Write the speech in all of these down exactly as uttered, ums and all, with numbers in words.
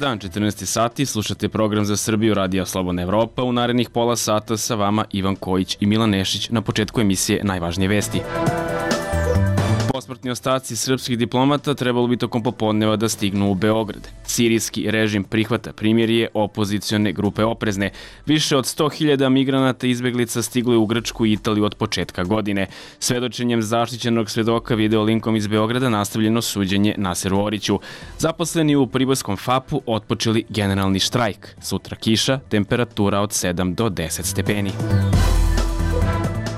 dan, četrnaest sati, slušate program za Srbiju Radija Slobodna Evropa. U narednih pola sata sa vama Ivan Kojić i Milan Nešić na početku emisije Najvažnije vesti. Posmrtni ostaci srpskih diplomata trebalo bi tokom popodneva da stignu u Beograd. Sirijski režim prihvata primirje, opozicione grupe oprezne. Više od sto hiljada migranata i izbeglica stiglo je u Grčku i Italiju od početka godine. Svedočenjem zaštićenog svedoka video linkom iz Beograda nastavljeno suđenje Naseru Oriću. Zaposleni u priborskom fapu otpočeli generalni štrajk. Sutra kiša, temperatura od sedam do deset stepeni.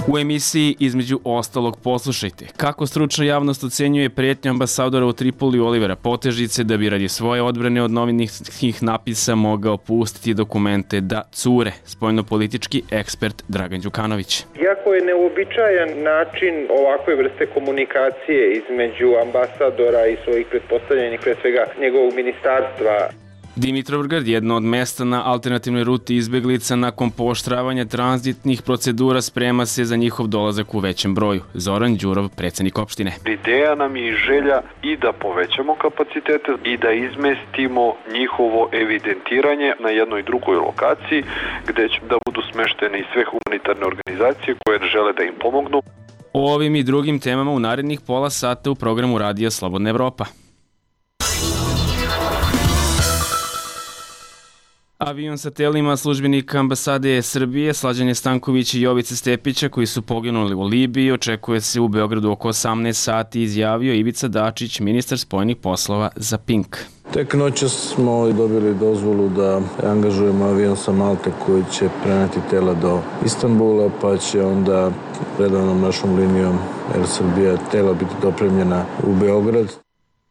U emisiji između ostalog poslušajte kako stručna javnost ocenjuje pretnju ambasadora u Tripoliju Olivera Potežice da bi radi svoje odbrane od novinskih napisa mogao pustiti dokumente da cure, spoljnopolitički ekspert Dragan Đukanović. Jako je neuobičajan način ovakve vrste komunikacije između ambasadora i svojih pretpostavljenih, pre svega njegovog ministarstva. Dimitrovgrad, jedno od mesta na alternativnoj ruti izbeglica nakon pooštravanja tranzitnih procedura, sprema se za njihov dolazak u većem broju. Zoran Đurov, predsjednik opštine. Ideja nam je i želja i da povećamo kapacitete i da izmestimo njihovo evidentiranje na jednoj drugoj lokaciji gde će da budu smeštene i sve humanitarne organizacije koje žele da im pomognu. O ovim i drugim temama u narednih pola sata u programu Radija Slobodna Evropa. Avion sa telima službenika ambasade Srbije Slađane Stanković i Jovice Stepića koji su poginuli u Libiji očekuje se u Beogradu oko osamnaest sati, izjavio Ivica Dačić, ministar spoljnih poslova za Pink. Tek noćas smo dobili dozvolu da angažujemo avion sa Malte koji će preneti tela do Istanbula, pa će onda redovnom našom linijom Air Srbija tela biti dopremljena u Beograd.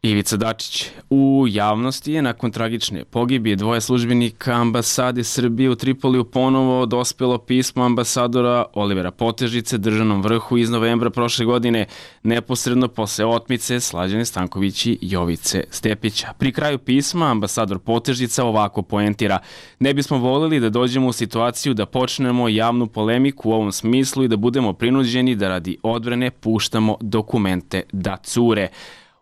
Ivica Dačić. U javnosti je nakon tragične pogibije dvoje službenika ambasade Srbije u Tripoliju ponovo dospelo pismo ambasadora Olivera Potežice državnom vrhu iz novembra prošle godine, neposredno posle otmice Slađane Stanković i Jovice Stepića. Pri kraju pisma ambasador Potežica ovako poentira: ne bismo voljeli da dođemo u situaciju da počnemo javnu polemiku u ovom smislu i da budemo prinuđeni da radi odbrane puštamo dokumente da cure.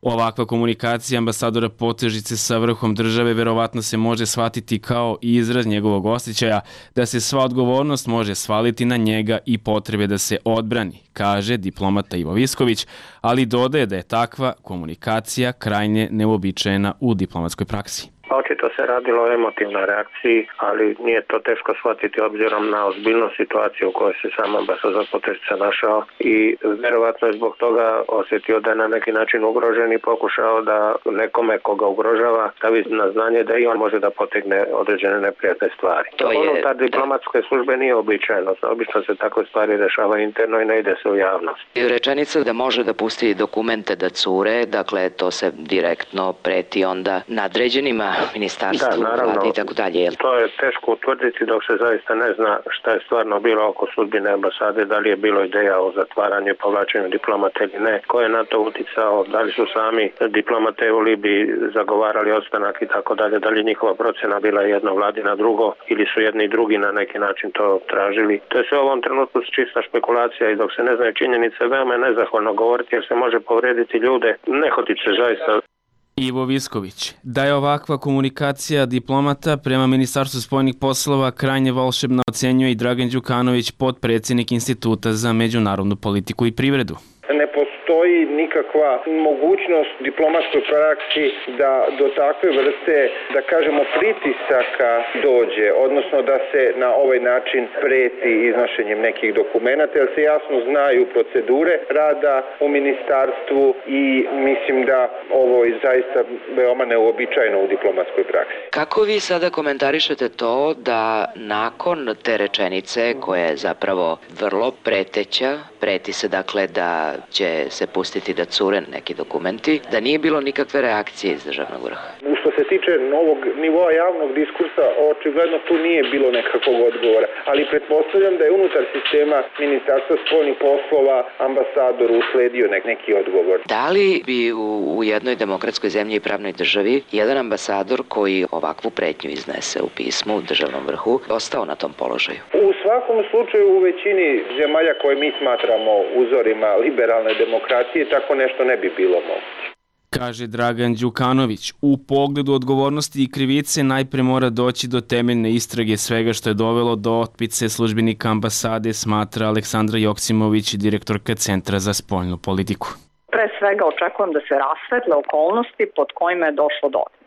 Ovakva komunikacija ambasadora Potežice sa vrhom države verovatno se može shvatiti kao izraz njegovog osjećaja da se sva odgovornost može svaliti na njega i potrebe da se odbrani, kaže diplomata Ivo Visković, ali dodaje da je takva komunikacija krajnje neuobičajena u diplomatskoj praksi. Očito se radilo o emotivnoj reakciji, ali nije to teško shvatiti obzirom na ozbiljnost situacije u kojoj se sam ambasador Potežica našao i verovatno je zbog toga osjetio da je na neki način ugrožen i pokušao da nekome koga ugrožava stavi na znanje da i on može da potegne određene neprijatne stvari. To je... Unutar diplomatske službe nije običajno. Obično se takve stvari rešava interno i ne ide se u javnost. Rečenica da može da pusti dokumente da cure, dakle to se direktno preti onda nadređenima ministarstvu, vlade i tako dalje. To je teško utvrditi dok se zaista ne zna šta je stvarno bilo oko sudbine ambasade, da li je bilo ideja o zatvaranju i povlačenju diplomata ili ne, ko je na to uticao, da li su sami diplomate u Libiji zagovarali ostanak i tako dalje, da li je njihova procena bila jedno vladina drugo ili su jedni i drugi na neki način to tražili. To je sve u ovom trenutku čista špekulacija i dok se ne znaju činjenice, veoma je nezahvalno govoriti jer se može povrediti ljude, ne hotiće zaista. Ivo Visković. Da je ovakva komunikacija diplomata prema Ministarstvu spoljnih poslova krajnje volšebna, ocenjuje i Dragan Đukanović, potpredsjednik Instituta za međunarodnu politiku i privredu. Ne postoji nikakva mogućnost diplomatskoj praksi da do takve vrste, da kažemo, pritisaka dođe, odnosno da se na ovaj način preti iznošenjem nekih dokumenata, jer se jasno znaju procedure rada u ministarstvu i mislim da ovo je zaista veoma neuobičajeno u diplomatskoj praksi. Kako vi sada komentarišete to da nakon te rečenice, koja je zapravo vrlo preteća, preti se dakle da će se pustiti da cure neki dokumenti, da nije bilo nikakve reakcije iz državnog vrha? Što se tiče novog nivoa javnog diskursa, očigledno tu nije bilo nekakvog odgovora, ali pretpostavljam da je unutar sistema Ministarstva spoljnih poslova ambasador usledio nek, neki odgovor. Da li bi u, u jednoj demokratskoj zemlji i pravnoj državi jedan ambasador koji ovakvu pretnju iznese u pismu u državnom vrhu ostao na tom položaju? U svakom slučaju u većini zemalja koje mi smatramo uzorima liberalne demokracije tako nešto ne bi bilo moguće. kaže Dragan Đukanović. U pogledu odgovornosti i krivice najpre mora doći do temeljne istrage svega što je dovelo do otpice službenika ambasade, smatra Aleksandra Joksimović, direktorka Centra za spoljnu politiku. Pre svega očekujem da se rasvetle okolnosti pod kojima je došlo do otmice.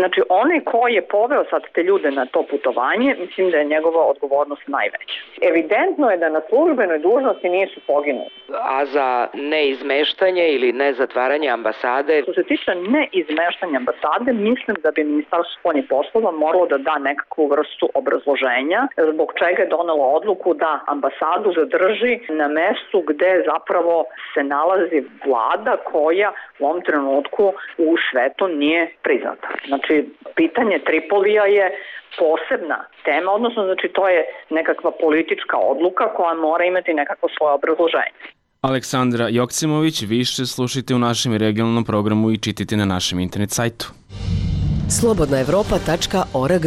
Znači, onaj koji je poveo sad te ljude na to putovanje, mislim da je njegova odgovornost najveća. Evidentno je da na službenoj dužnosti nisu poginuli. A za neizmeštanje ili nezatvaranje ambasade? Što se tiče neizmeštanja ambasade, mislim da bi Ministarstvo spoljnih poslova moralo da da nekakvu vrstu obrazloženja zbog čega je donelo odluku da ambasadu zadrži na mestu gde zapravo se nalazi vlada koja u ovom trenutku u svetu nije priznata. Znači, pitanje Tripolija je posebna tema, odnosno znači to je nekakva politička odluka koja mora imati nekako svoje obrazloženje. Aleksandra Joksimović, više slušajte u našem regionalnom programu i čitajte na našem internet sajtu. slobodna evropa tačka org.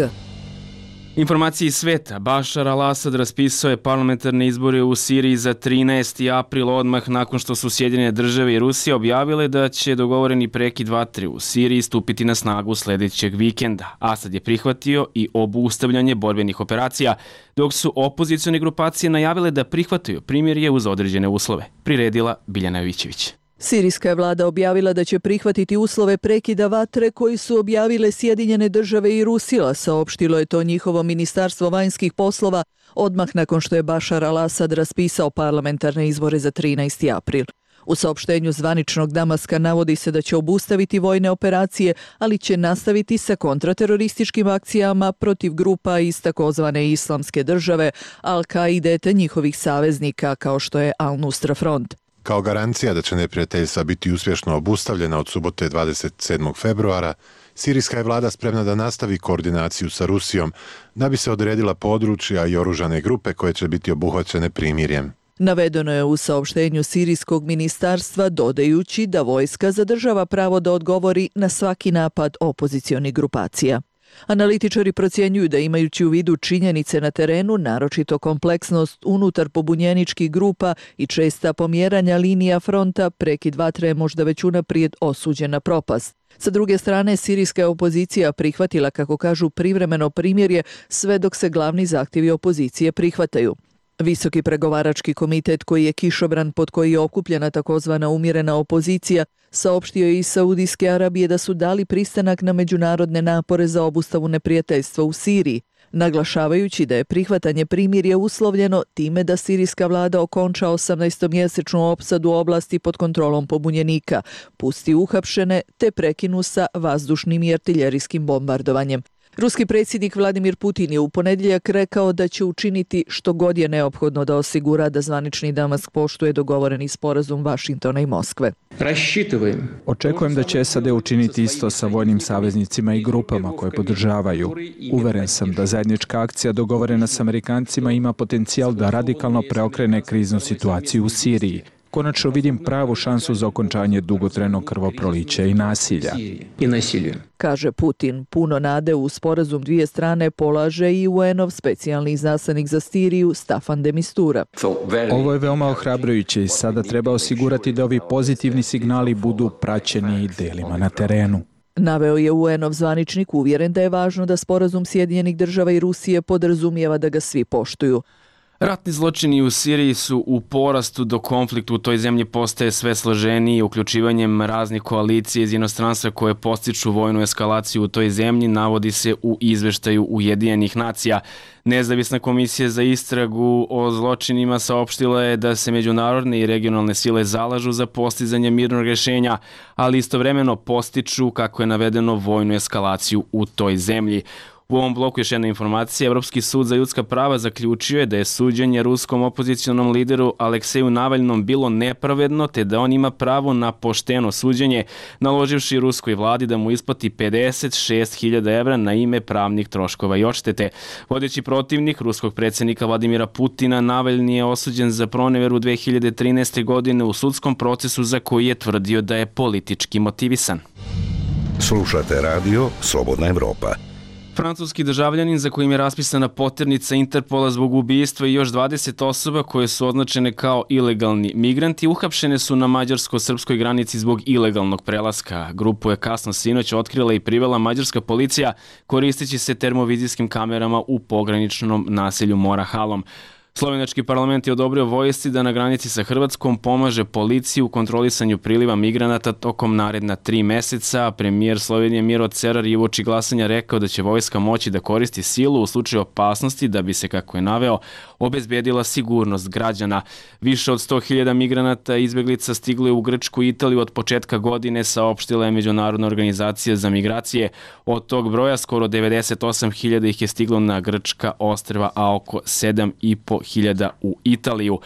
Informacije iz sveta. Bašar al-Asad raspisao je parlamentarne izbore u Siriji za trinaesti april, odmah nakon što su Sjedinjene države i Rusija objavile da će dogovoreni prekid vatre u Siriji stupiti na snagu sledećeg vikenda. Asad je prihvatio i obustavljanje borbenih operacija, dok su opozicione grupacije najavile da prihvataju primirje uz određene uslove. Priredila Biljana Jovićević. Sirijska je vlada objavila da će prihvatiti uslove prekida vatre koji su objavile Sjedinjene države i Rusija, saopštilo je to njihovo ministarstvo vanjskih poslova odmah nakon što je Bašar al-Asad raspisao parlamentarne izbore za trinaesti april. U saopštenju zvaničnog Damaska navodi se da će obustaviti vojne operacije, ali će nastaviti sa kontraterorističkim akcijama protiv grupa iz takozvane islamske države, Al-Kaide te njihovih saveznika kao što je Al-Nusra Front. Kao garancija da će neprijateljstva biti uspješno obustavljena od subote dvadeset sedmog februara, sirijska je vlada spremna da nastavi koordinaciju sa Rusijom da bi se odredila područja i oružane grupe koje će biti obuhvaćene primirjem. Navedeno je u saopštenju sirijskog ministarstva, dodajući da vojska zadržava pravo da odgovori na svaki napad opozicionih grupacija. Analitičari procjenjuju da imajući u vidu činjenice na terenu, naročito kompleksnost unutar pobunjeničkih grupa i česta pomjeranja linija fronta, prekid vatre je možda već unaprijed osuđen na propast. Sa druge strane, sirijska opozicija prihvatila, kako kažu, privremeno primirje sve dok se glavni zahtjevi opozicije prihvataju. Visoki pregovarački komitet, koji je kišobran pod koji je okupljena takozvana umjerena opozicija, saopštio je iz Saudijske Arabije da su dali pristanak na međunarodne napore za obustavu neprijateljstva u Siriji, naglašavajući da je prihvatanje primirja uslovljeno time da sirijska vlada okonča osamnaestomjesečnu opsadu oblasti pod kontrolom pobunjenika, pusti uhapšene te prekinu sa vazdušnim i artiljerijskim bombardovanjem. Ruski predsjednik Vladimir Putin je u ponedjeljak rekao da će učiniti što god je neophodno da osigura da zvanični Damask poštuje dogovoreni sporazum Vašingtona i Moskve. Očekujem da će S A D učiniti isto sa vojnim saveznicima i grupama koje podržavaju. Uveren sam da zajednička akcija dogovorena s Amerikancima ima potencijal da radikalno preokrene kriznu situaciju u Siriji. Konačno vidim pravu šansu za okončanje dugotrajnog krvoprolića i nasilja. Kaže Putin. Puno nade u sporazum dvije strane polaže i U N-ov specijalni izaslanik za Siriju Staffan de Mistura. Ovo je veoma ohrabrujuće i sada treba osigurati da ovi pozitivni signali budu praćeni i delima na terenu. Naveo je U N-ov zvaničnik, uvjeren da je važno da sporazum Sjedinjenih država i Rusije podrazumijeva da ga svi poštuju. Ratni zločini u Siriji su u porastu, dok konflikt u toj zemlji postaje sve složeniji. Uključivanjem raznih koalicija iz inostranstva koje postiču vojnu eskalaciju u toj zemlji, navodi se u izveštaju Ujedinjenih nacija. Nezavisna komisija za istragu o zločinima saopštila je da se međunarodne i regionalne sile zalažu za postizanje mirnog rješenja, ali istovremeno postiču, kako je navedeno, vojnu eskalaciju u toj zemlji. U ovom bloku još jedna informacija. Evropski sud za ljudska prava zaključio je da je suđenje ruskom opozicionom lideru Alekseju Navalnom bilo nepravedno, te da on ima pravo na pošteno suđenje, naloživši ruskoj vladi da mu isplati pedeset šest hiljada evra na ime pravnih troškova i odštete. Vodeći protivnik ruskog predsjednika Vladimira Putina, Navalni je osuđen za proneveru dve hiljade trinaeste. godine u sudskom procesu za koji je tvrdio da je politički motivisan. Slušate radio Slobodna Evropa. Francuski državljanin za kojim je raspisana poternica Interpola zbog ubistva i još dvadeset osoba koje su označene kao ilegalni migranti uhapšene su na mađarsko-srpskoj granici zbog ilegalnog prelaska. Grupu je kasno sinoć otkrila i privela mađarska policija koristeći se termovizijskim kamerama u pograničnom naselju Mora-Halom. Slovenački parlament je odobrio vojsci da na granici sa Hrvatskom pomaže policiji u kontrolisanju priliva migranata tokom naredna tri meseca. Premijer Slovenije Miro Cerar je uoči glasanja rekao da će vojska moći da koristi silu u slučaju opasnosti da bi se, kako je naveo, obezbedila sigurnost građana. Više od sto hiljada migranata i izbeglica stiglo je u Grčku i Italiju od početka godine, saopštila je Međunarodna organizacija za migracije. Od tog broja skoro devedeset osam hiljada ih je stiglo na grčka ostrva, a oko sedam i po hiljada u Italiju.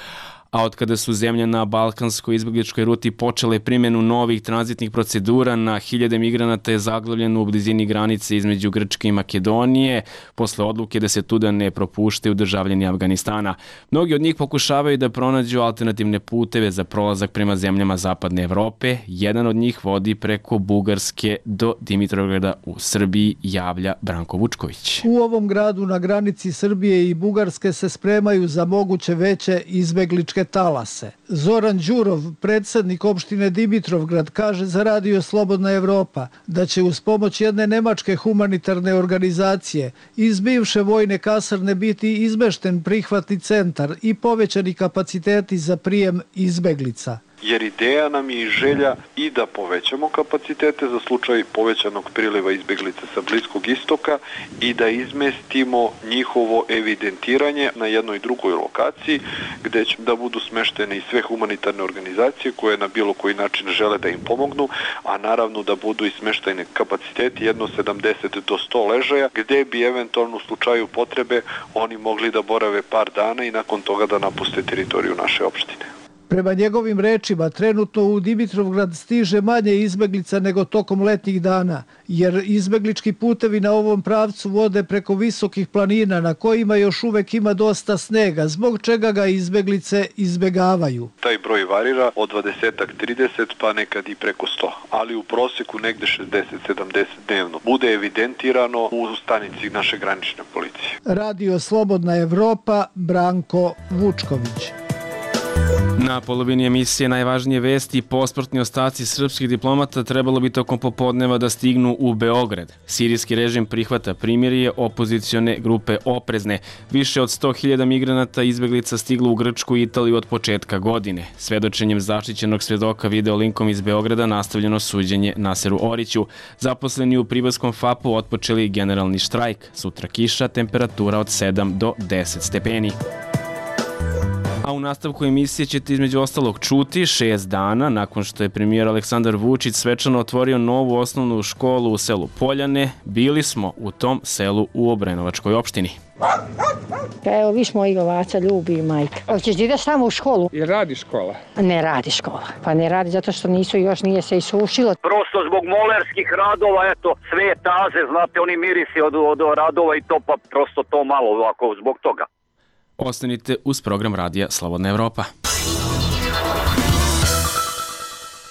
A od kada su zemlje na balkanskoj izbegličkoj ruti počele primjenu novih tranzitnih procedura, na hiljade migranata je zaglavljeno u blizini granice između Grčke i Makedonije, posle odluke da se tuda ne propuštaju državljani Afganistana. Mnogi od njih pokušavaju da pronađu alternativne puteve za prolazak prema zemljama zapadne Evrope. Jedan od njih vodi preko Bugarske do Dimitrovgrada u Srbiji, javlja Branko Vučković. U ovom gradu na granici Srbije i Bugarske se spremaju za moguće veće izbegličke talase. Zoran Đurov, predsjednik opštine Dimitrovgrad, kaže za radio Slobodna Evropa da će uz pomoć jedne nemačke humanitarne organizacije iz bivše vojne kasarne biti izmešten prihvatni centar i povećani kapaciteti za prijem izbeglica. Jer ideja nam je i želja i da povećamo kapacitete za slučaj povećanog priliva izbeglica sa Bliskog istoka i da izmestimo njihovo evidentiranje na jednoj drugoj lokaciji gde će da budu smeštene i sve humanitarne organizacije koje na bilo koji način žele da im pomognu, a naravno da budu i smeštene kapaciteti jedno sedamdeset do sto ležaja gde bi eventualno u slučaju potrebe oni mogli da borave par dana i nakon toga da napuste teritoriju naše opštine. Prema njegovim rečima, trenutno u Dimitrovgrad stiže manje izbeglica nego tokom letnjih dana, jer izbeglički putevi na ovom pravcu vode preko visokih planina na kojima još uvek ima dosta snega, zbog čega ga izbeglice izbegavaju. Taj broj varira od dvadeset do trideset pa nekad i preko sto, ali u proseku negde šezdeset do sedamdeset dnevno bude evidentirano u stanici naše granične policije. Radio Slobodna Evropa, Branko Vučković. Na polovini emisije najvažnije vesti, posportni ostaci srpskih diplomata trebalo bi tokom popodneva da stignu u Beograd. Sirijski režim prihvata primirje, opozicione grupe oprezne. Više od sto hiljada migranata i izbeglica stiglo u Grčku i Italiju od početka godine. Svedočenjem zaštićenog svedoka video linkom iz Beograda nastavljeno suđenje Naseru Oriću. Zaposleni u Priborskom fapu otpočeli generalni štrajk. Sutra kiša, temperatura od sedam do deset stepeni. A u nastavku emisije ćete između ostalog čuti šest dana nakon što je premijer Aleksandar Vučić svečano otvorio novu osnovnu školu u selu Poljane. Bili smo u tom selu u Obrenovačkoj opštini. Pa evo, viš mojeg ovaca ljubi majka. Hoćeš da ideš samo u školu? I radi škola? Ne radi škola. Pa ne radi zato što nisu još, nije se isušilo. Prosto zbog molerskih radova, eto, sve taze, znate, oni mirisi od, od radova i to, pa prosto to malo ovako zbog toga. Ostanite uz program radija Slobodna Evropa.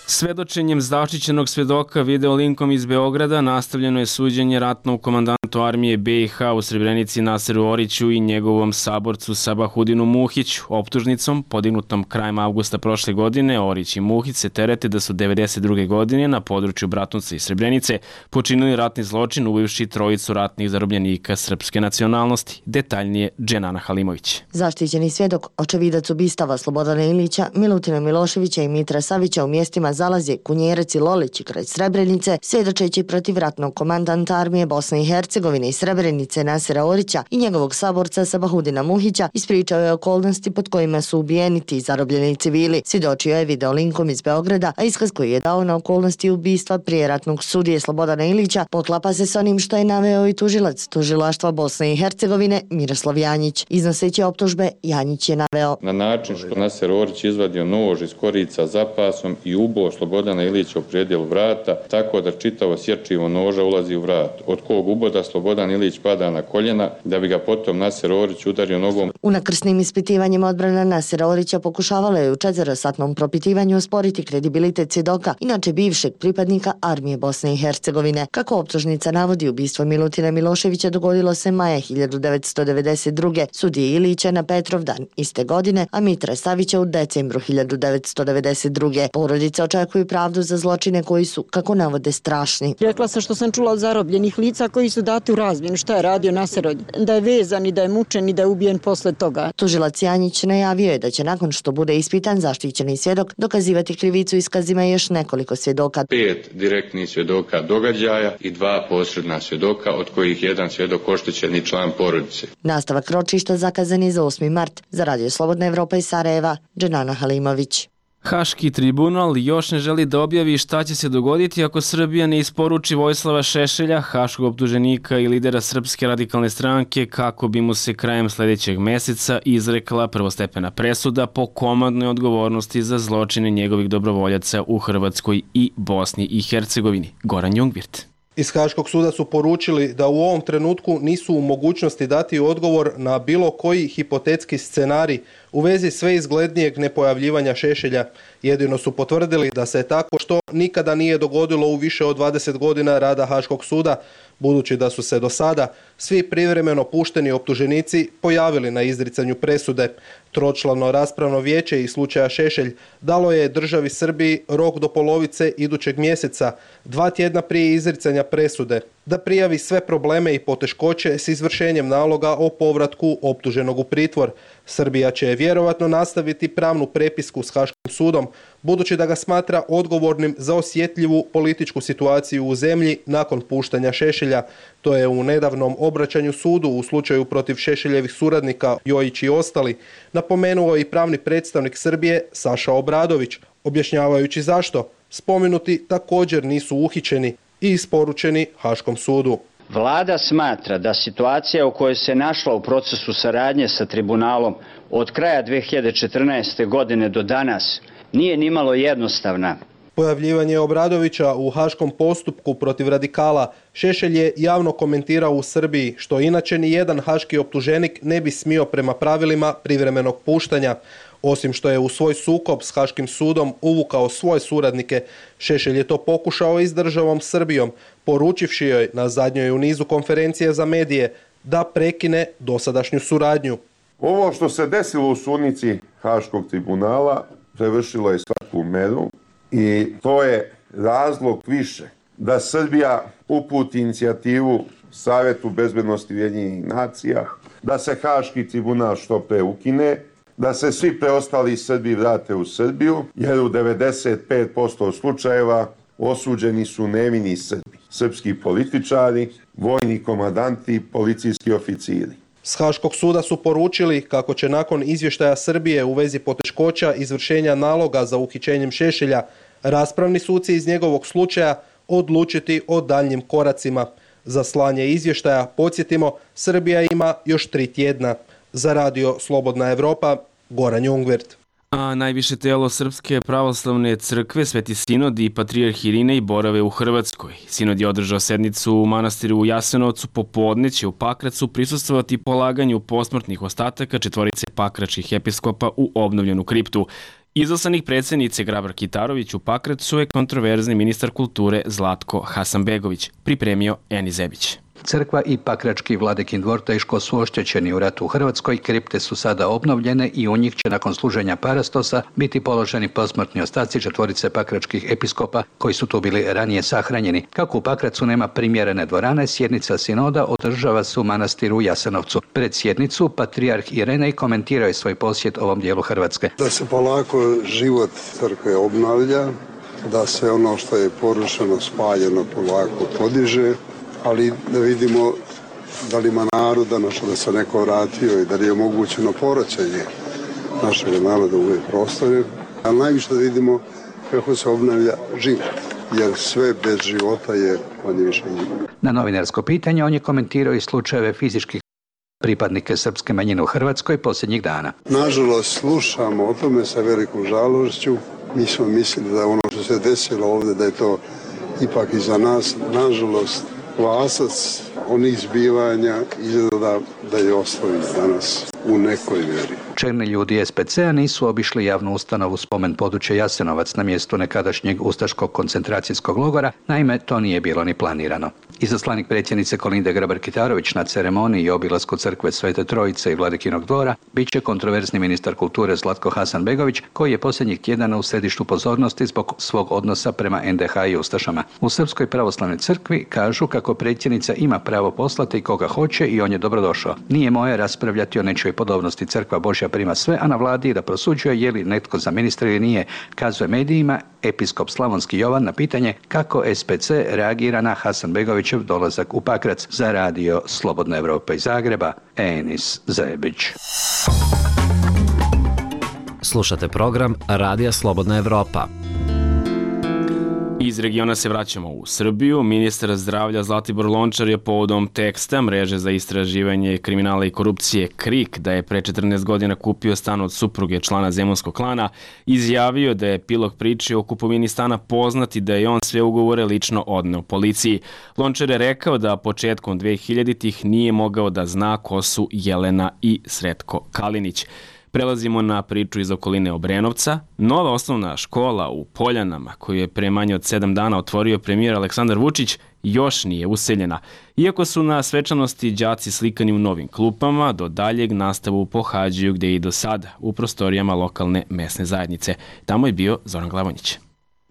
Svedočenjem zaštićenog svedoka video linkom iz Beograda nastavljeno je suđenje ratnog komandantu armije be i ha u Srebrenici Naseru Oriću i njegovom saborcu Sabahudinu Muhiću. Optužnicom, podignutom krajem avgusta prošle godine, Orić i Muhić se terete da su devedeset druge godine na području Bratunca i Srebrenice počinili ratni zločin ubivši trojicu ratnih zarobljenika srpske nacionalnosti. Detaljnije Dženana Halimović. Zaštićeni svjedok, očevidac ubistava Slobodana Ilića, Milutina Miloševića i Mitra Savića u mjestima Zalazje, Kunjerec i Lolić kraj Srebrenice, svjedočeći protiv ratnog komandanta armije Bosne i Hercegovine i Srebrenice Nasera Orića i njegovog saborca Sabahudina Muhića, ispričao je okolnosti pod kojima su ubijeni ti zarobljeni civili. Svjedočio je video linkom iz Beograda, a iskaz koji je dao na okolnosti ubistva prije ratnog sudije Slobodana Ilića poklapa se s onim što je naveo i tužilac tužilaštva Bosne i Hercegovine Miroslav Janjić. Iznoseći optužbe, Janjić je naveo: na način što Naser Orić izvadio nož iz korica za pasom i ubo Slobodana Ilića u predjelu vrata, tako da čitavo sjerčivo noža ulazi u vrat, od kog uboda Slobodan Ilić pada na koljena, da bi ga potom Naser Orić udario nogom. U nakrsnim ispitivanjima odbrana Nasera Orića pokušavala je u četverosatnom propitivanju osporiti kredibilitet svjedoka, inače bivšeg pripadnika armije Bosne i Hercegovine. Kako optužnica navodi, ubistvo Milutina Miloševića dogodilo se maja hiljadu devetsto devedeset druge, sudije Ilića na Petrovdan iste godine, a Mitre Savića u decembru hiljadu devetsto devedeset druge. Porodice očekuju pravdu za zločine koji su, kako navode, strašni. Rekla sam što sam čula od zarobljenih lica koji su dati u razmjenu. Šta je radio Naser Orić? Da je vezan i da je mučen i da je ubijen posle toga. Tužilac Janjić najavio je da će nakon što bude ispitan zaštićeni svjedok dokazivati krivicu iskazima još nekoliko svjedoka. Pet direktnih svjedoka događaja i dva posredna svjedoka, od kojih jedan svjedok oštećeni član porodice. Nastavak ročišta zakazan je za osmi mart. Za Radio Slobodna Evropa iz Sarajeva, Dženana Halimović. Haški tribunal još ne želi da objavi šta će se dogoditi ako Srbija ne isporuči Vojislava Šešelja, haškog optuženika i lidera Srpske radikalne stranke, kako bi mu se krajem sljedećeg meseca izrekla prvostepena presuda po komandnoj odgovornosti za zločine njegovih dobrovoljaca u Hrvatskoj i Bosni i Hercegovini. Goran Jungvirt. Iz Haškog suda su poručili da u ovom trenutku nisu u mogućnosti dati odgovor na bilo koji hipotetski scenarij u vezi sve izglednijeg nepojavljivanja Šešelja. Jedino su potvrdili da se tako što nikada nije dogodilo u više od dvadeset godina rada Haškog suda, budući da su se do sada svi privremeno pušteni optuženici pojavili na izricanju presude. Tročlano raspravno vijeće iz slučaja Šešelj dalo je državi Srbiji rok do polovice idućeg mjeseca, dva tjedna prije izricanja presude, da prijavi sve probleme i poteškoće s izvršenjem naloga o povratku optuženog u pritvor. Srbija će vjerovatno nastaviti pravnu prepisku s Haškim sudom, budući da ga smatra odgovornim za osjetljivu političku situaciju u zemlji nakon puštanja Šešelja. To je u nedavnom obraćanju sudu u slučaju protiv Šešeljevih suradnika Jojić i ostali napomenuo i pravni predstavnik Srbije Saša Obradović, objašnjavajući zašto spomenuti također nisu uhićeni i isporučeni Haškom sudu. Vlada smatra da situacija u kojoj se našla u procesu saradnje sa tribunalom od kraja dve hiljade četrnaeste. godine do danas nije nimalo jednostavna. Pojavljivanje Obradovića u haškom postupku protiv radikala Šešelj je javno komentirao u Srbiji, što inače ni jedan haški optuženik ne bi smio prema pravilima privremenog puštanja. Osim što je u svoj sukob s Haškim sudom uvukao svoje suradnike, Šešelj je to pokušao i s državom Srbijom, poručivši joj na zadnjoj u nizu konferencije za medije da prekine dosadašnju suradnju. Ovo što se desilo u sudnici Haškog tribunala prevršilo je svaku meru i to je razlog više da Srbija uputi inicijativu Savetu bezbednosti Ujedinjenih nacija, da se Haški tribunal što pre ukine, da se svi preostali Srbi vrate u Srbiju, jer u devedeset pet posto slučajeva osuđeni su nevini Srbi, srpski političari, vojni komandanti, policijski oficiri. S Haškog suda su poručili kako će nakon izvještaja Srbije u vezi poteškoća izvršenja naloga za uhićenjem Šešelja, raspravni suci iz njegovog slučaja odlučiti o daljnjim koracima. Za slanje izvještaja, podsjetimo, Srbija ima još tri tjedna. Za Radio Slobodna Evropa, Goran Jungvirt. A najviše telo Srpske pravoslavne crkve, Sveti Sinod i Patrijarh Irinej borave u Hrvatskoj. Sinod je održao sednicu u manastiru u Jasenovcu, popodne će u Pakracu prisustvovati polaganju posmrtnih ostataka četvorice pakračkih episkopa u obnovljenu kriptu. Izaslanik predsjednice Grabar Kitarović u Pakracu je kontroverzni ministar kulture Zlatko Hasanbegović, pripremio Eni Zebić. Crkva i Pakrački Vladikin dvor teško su oštećeni u ratu u Hrvatskoj, kripte su sada obnovljene i u njih će nakon služenja parastosa biti položeni posmrtni ostaci četvorice pakračkih episkopa koji su tu bili ranije sahranjeni. Kako u Pakracu nema primjerene dvorane, sjednica sinoda održava se u manastiru u Jasenovcu. Pred sjednicu Patrijarh Irinej komentirao je svoj posjet ovom dijelu Hrvatske. Da se polako život crkve obnavlja, da se ono što je porušeno, spaljeno polako podiže, ali da vidimo da li ima naroda, našo da se neko vratio i da li je omogućeno povraćanje našeg naroda u ove prostore. Ali najviše da vidimo kako se obnavlja život, jer sve bez života je manje više život. Na novinarsko pitanje on je komentirao i slučajeve fizičkih pripadnike srpske manjine u Hrvatskoj posljednjih dana. Nažalost, slušamo o tome sa velikom žalošću. Mi smo mislili da ono što se desilo ovdje, da je to ipak i za nas, nažalost, Vlasac onih zbivanja izgleda da je ostavi danas u nekoj mjeri. Čelni ljudi es pe ce a nisu obišli javnu ustanovu spomen područja Jasenovac na mjestu nekadašnjeg ustaškog koncentracijskog logora, naime to nije bilo ni planirano. Izaslanik predsjednice Kolinde Grabar-Kitarović na ceremoniji i obilasku crkve Svete Trojice i Vladikinog dvora bit će kontroverzni ministar kulture Zlatko Hasanbegović, koji je posljednjih tjedana u središtu pozornosti zbog svog odnosa prema en de ha i ustašama. U Srpskoj pravoslavnoj crkvi kažu kako predsjednica ima pravo poslati koga hoće i on je dobrodošao. Nije moje raspravljati o nečijoj podobnosti, crkva Božja prima sve, a na vladi da prosuđuje je li netko za ministra ili nije, kazuje medijima episkop Slavonski Jovan na pitanje kako es pe ce reagira na Hasanbegovićev dolazak u Pakrac. Za radio Slobodna Evropa iz Zagreba, Enis Zebić. Slušate program Radija Slobodna Evropa. Iz regiona se vraćamo u Srbiju. Ministar zdravlja Zlatibor Lončar je povodom teksta Mreže za istraživanje kriminala i korupcije KRIK da je pre četrnaest godina kupio stan od supruge člana zemunskog klana izjavio da je epilog priče o kupovini stana poznat i da je on sve ugovore lično odneo policiji. Lončar je rekao da početkom dvehiljaditih nije mogao da zna ko su Jelena i Sretko Kalinić. Prelazimo na priču iz okoline Obrenovca. Nova osnovna škola u Poljanama, koju je pre manje od sedam dana otvorio premijer Aleksandar Vučić, još nije useljena. Iako su na svečanosti đaci slikani u novim klupama, do daljeg nastavu pohađaju gde i do sada, u prostorijama lokalne mesne zajednice. Tamo je bio Zoran Glavonjić.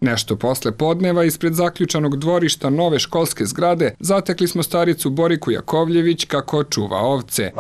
Nešto posle podneva ispred zaključanog dvorišta nove školske zgrade zatekli smo staricu Boriku Jakovljević kako čuva ovce.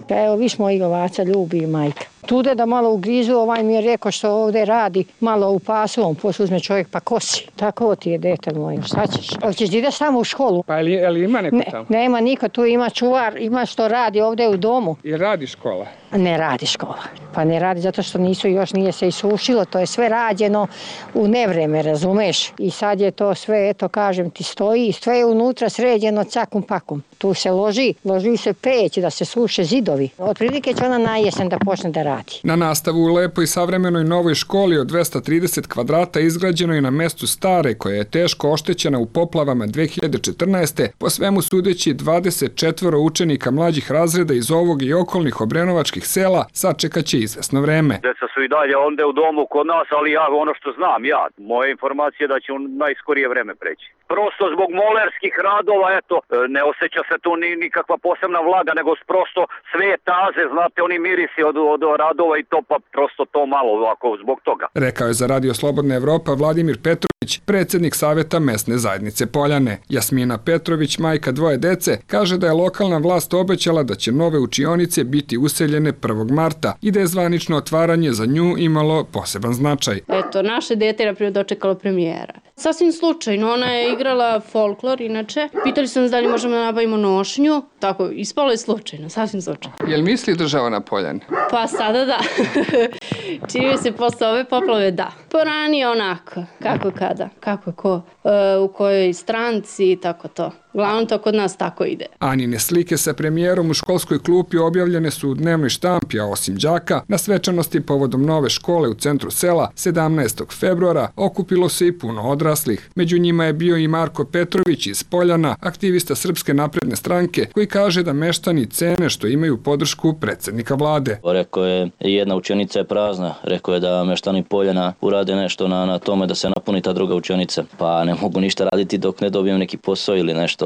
Evo, viš mojeg ovaca ljubi majka. Tude da malo ugrizu, ovaj mi je rekao što ovde radi, malo u pasu, on posle uzme čovjek pa kosi. Tako ti je, dete moje, šta ćeš? Ali ćeš da ideš samo u školu? Pa je li ima neko tamo? Ne, nema niko, tu ima čuvar, ima što radi ovde u domu. I radi škola? Ne radi škola. Pa ne radi zato što nisu, još nije se isušilo, to je sve rađeno u nevreme, razumeš? I sad je to sve, eto kažem ti, stoji, sve je unutra sređeno cakum pakum. Tu se loži, loži se peć da se suše zidovi. Otprilike će ona na jesen da počne da radi. Na nastavu u lepoj savremenoj novoj školi od dvesta trideset kvadrata izgrađenoj na mestu stare, koja je teško oštećena u poplavama dve hiljade četrnaeste. Po svemu sudeći dvadeset četvoro učenika mlađih razreda iz ovog i okolnih obrenovačkih sela sačekaće izvesno vreme. Deca su i dalje onda u domu kod nas, ali ja ono što znam ja, moje informacije da će u najskorije vreme preći. Prosto zbog molerskih radova, eto, ne osjeća se tu ni nikakva posebna vlaga, nego prosto sve taze, znate, oni mirisi od, od radova i to, pa prosto to malo ovako zbog toga. Rekao je za Radio Slobodna Evropa Vladimir Petrović, predsjednik Saveta mesne zajednice Poljane. Jasmina Petrović, majka dvoje dece, kaže da je lokalna vlast obećala da će nove učionice biti useljene prvog marta i da je zvanično otvaranje za nju imalo poseban značaj. Eto, naše dete je na primjer dočekalo premijera. Sasvim slučajno, ona je igrala folklor, inače. Pitali su nas da li možemo da nabavimo nošnju. Tako, ispalo je slučajno, sasvim slučajno. Jel misli država na Poljane? Pa sada da. Čini se posle ove poplave da. Poranije onako, kako kada, kako ko, e, u kojoj stranci i tako to. Glavno to kod nas tako ide. Anine slike sa premijerom u školskoj klupi objavljene su u dnevnoj štampi, a osim đaka, na svečanosti povodom nove škole u centru sela sedamnaestog februara okupilo se i puno odraslih. Među njima je bio i Marko Petrović iz Poljana, aktivista Srpske napredne stranke, koji kaže da meštani cene što imaju podršku predsjednika vlade. Rekao je, jedna učionica je prazna, rekao je da meštani Poljana urade nešto na, na tome da se napuni ta druga učionica. Pa ne mogu ništa raditi dok ne dobijem neki posao ili nešto.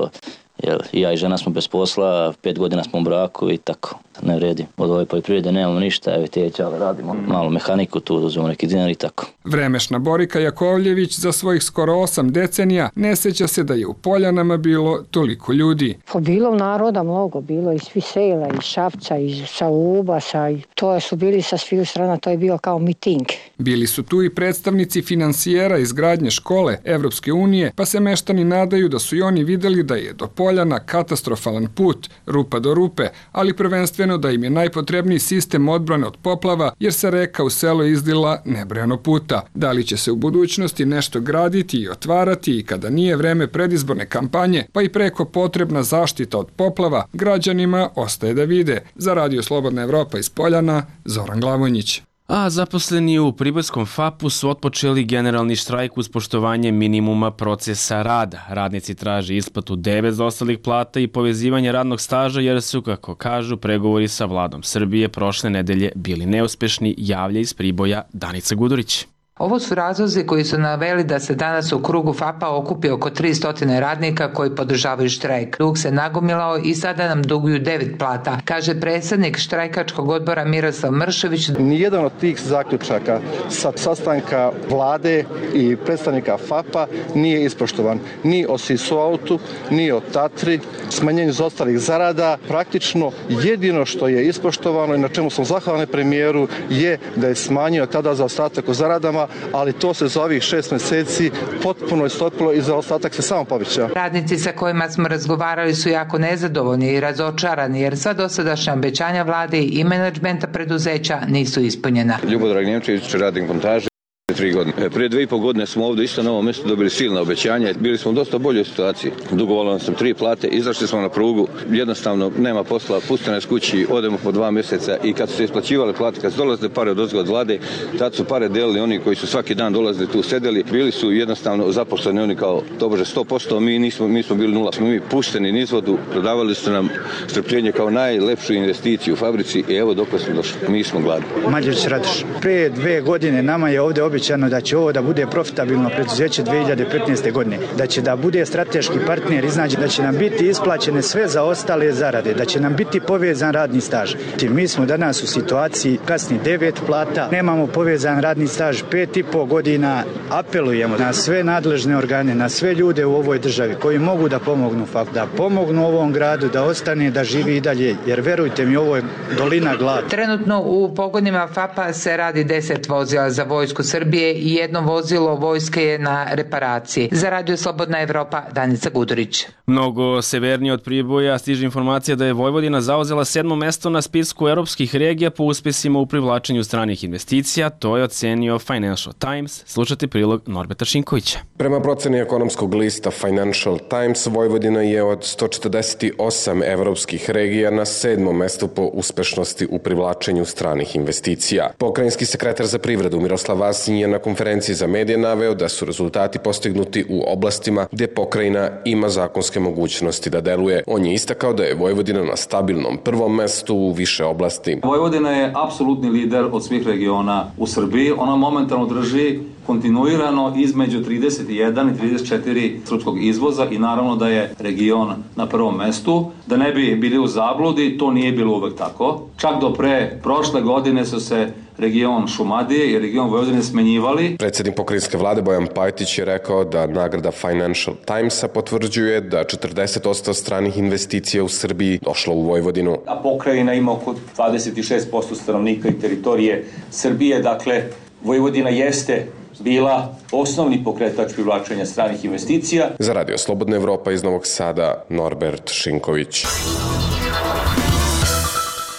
Jer ja i žena smo bez posla, pet godina smo u braku i tako, ne vredi. Od ove poljoprivrede nemamo ništa, evo teće, ali radimo malo mehaniku, tu uzmemo neki dinar i tako. Vremešna Borika Jakovljević za svojih skoro osam decenija ne sjeća se da je u Poljanama bilo toliko ljudi. Pa bilo naroda mnogo, bilo iz svih sela, iz Šapca, iz Saubasa, to su bili sa svih strana, to je bio kao miting. Bili su tu i predstavnici finansijera izgradnje škole Evropske unije, pa se meštani nadaju da su i oni videli da je do Poljana katastrofalan put, rupa do rupe, ali prvenstveno da im je najpotrebniji sistem odbrane od poplava, jer se reka u selo izdila nebrojano puta. Da li će se u budućnosti nešto graditi i otvarati i kada nije vreme predizborne kampanje, pa i preko potrebna zaštita od poplava, građanima ostaje da vide. Za Radio Slobodna Evropa iz Poljana, Zoran Glavonjić. A zaposleni u Priborskom fapu su otpočeli generalni štrajk uz poštovanje minimuma procesa rada. Radnici traže isplatu devet zaostalih plata i povezivanje radnog staža jer su, kako kažu, pregovori sa vladom Srbije prošle nedelje bili neuspešni, javlja iz Priboja Danica Gudurić. Ovo su razlozi koji su naveli da se danas u krugu fapa okupi oko tristo radnika koji podržavaju štrajk. Dug se nagomilao i sada nam duguju devet plata, kaže predsjednik štrajkačkog odbora Miroslav Mršević. Nijedan od tih zaključaka sa sastanka vlade i predstavnika fapa nije ispoštovan. Ni o Sisuautu, ni o Tatri, smanjenju zaostalih zarada. Praktično jedino što je ispoštovano i na čemu smo zahvalni premijeru je da je smanjio tada zaostatak u zaradama, ali to se za ovih šest mjeseci potpuno istopilo i zaostatak se samo povećao. Radnici sa kojima smo razgovarali su jako nezadovoljni i razočarani jer sva dosadašnja obećanja vlade i menadžmenta preduzeća nisu ispunjena. Ljubodrag Njemčević, radnik montaže. Tri godine. Prije dvije i pol godine smo ovdje isto na ovom mjestu dobili silna obećanja. Bili smo u dosta boljoj situaciji. Dugovalo sam tri plate, izašli smo na prugu, jednostavno nema posla, puste nas kući, odemo po dva mjeseca i kad su se isplaćivale plate, kad su dolazile pare od ozgo od vlade, tad su pare delili oni koji su svaki dan dolazili tu sedeli. Bili su jednostavno zaposleni oni kao tobože sto posto, mi nismo, mi smo bili nula. Smo mi pušteni niz vodu, prodavali su nam strpljenje kao najlepšu investiciju u fabrici i evo dok smo došli. Mi smo gladni. Mađarić Radoš, prije dve godine nama je ovdje običajno da će ovo da bude profitabilno preduzeće dvije hiljade petnaeste. godine, da će da bude strateški partner, iznađe da će nam biti isplaćene sve za ostale zarade, da će nam biti povezan radni staž. Mi smo danas u situaciji kasni devet plata, nemamo povezan radni staž pet i po godina. Apelujemo na sve nadležne organe, na sve ljude u ovoj državi koji mogu da pomognu fakt, da pomognu ovom gradu, da ostane, da živi i dalje, jer verujte mi, ovo je dolina glad. Trenutno u pogonima fapa se radi deset vozila za vojsku Srbije i jedno vozilo vojske je na reparaciji. Za Radio Slobodna Evropa, Danica Gudurić. Mnogo severnije od Priboja stiže informacija da je Vojvodina zauzela sedmo mesto na spisku europskih regija po uspesima u privlačenju stranih investicija. To je ocenio Financial Times. Slušajte prilog Norberta Šinkovića. Prema proceni ekonomskog lista Financial Times, Vojvodina je od sto četrdeset osam evropskih regija na sedmom mestu po uspešnosti u privlačenju stranih investicija. Pokrajinski sekretar za privredu Miroslav Vasinj je na konferenciji za medije naveo da su rezultati postignuti u oblastima gdje pokrajina ima zakonske mogućnosti da deluje. On je istakao da je Vojvodina na stabilnom prvom mestu u više oblasti. Vojvodina je apsolutni lider od svih regiona u Srbiji. Ona momentalno drži kontinuirano između trideset jedan i trideset četiri srpskog izvoza i naravno da je region na prvom mestu. Da ne bi bili u zabludi, to nije bilo uvek tako. Čak do pre prošle godine su se region Šumadije i region Vojvodine smenjivali. Predsjednik pokrajinske vlade Bojan Pajtić je rekao da nagrada Financial Timesa potvrđuje da četrdeset posto stranih investicija u Srbiji došlo u Vojvodinu. A pokrajina ima oko dvadeset šest posto stanovnika i teritorije Srbije, dakle Vojvodina jeste bila osnovni pokretač privlačenja stranih investicija. Za Radio Slobodna Evropa iz Novog Sada, Norbert Šinković.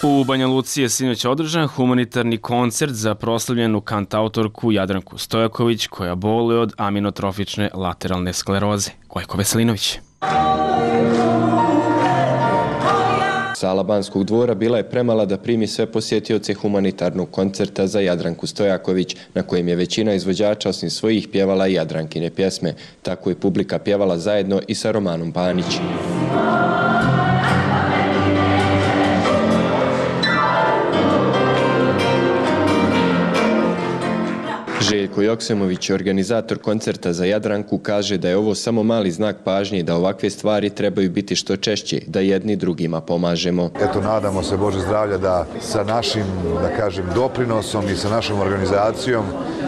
U Banja Luci je sinoć održan humanitarni koncert za proslavljenu kantautorku Jadranku Stojaković koja boluje od aminotrofične lateralne skleroze. Gojko Veselinović. Sala Banskog dvora bila je premala da primi sve posjetioce humanitarnog koncerta za Jadranku Stojaković, na kojem je većina izvođača osim svojih pjevala i Jadrankine pjesme. Tako je publika pjevala zajedno i sa Romanom Panić. Željko Joksemović, organizator koncerta za Jadranku, kaže da je ovo samo mali znak pažnje i da ovakve stvari trebaju biti što češće, da jedni drugima pomažemo. Eto, nadamo se, Bože zdravlja, da sa našim, da kažem, doprinosom i sa našom organizacijom,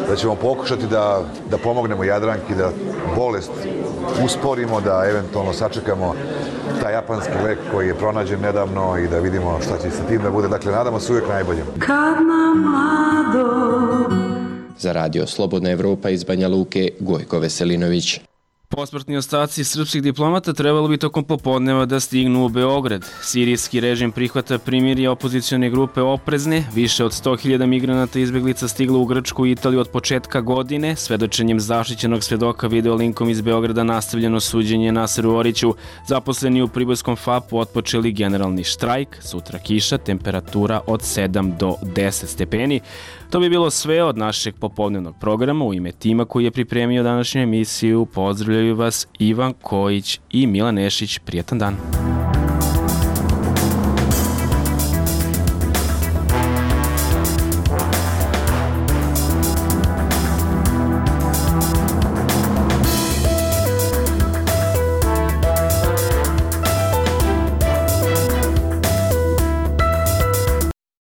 da ćemo pokušati da, da pomognemo Jadranki, da bolest usporimo, da eventualno sačekamo taj japanski lek koji je pronađen nedavno i da vidimo šta će sa tim da bude. Dakle, nadamo se uvijek najbolje. Kad nam mlado... Za Radio Slobodna Evropa iz Banja Luke, Gojko Veselinović. Posmrtni ostaci srpskih diplomata trebalo bi tokom popodneva da stignu u Beograd. Sirijski režim prihvata primirje opozicione grupe Oprezne. Više od sto hiljada migranata izbeglica stiglo u Grčku i Italiju od početka godine. Svedočenjem zaštićenog svedoka video linkom iz Beograda nastavljeno suđenje Naseru Oriću. Zaposleni u Priborskom F A P-u otpočeli generalni štrajk. Sutra kiša, temperatura od sedam do deset stepeni. To bi bilo sve od našeg popodnevnog programa. U ime tima koji je pripremio današnju emisiju pozdravljaju vas Ivan Kojić i Milan Nešić. Prijetan dan.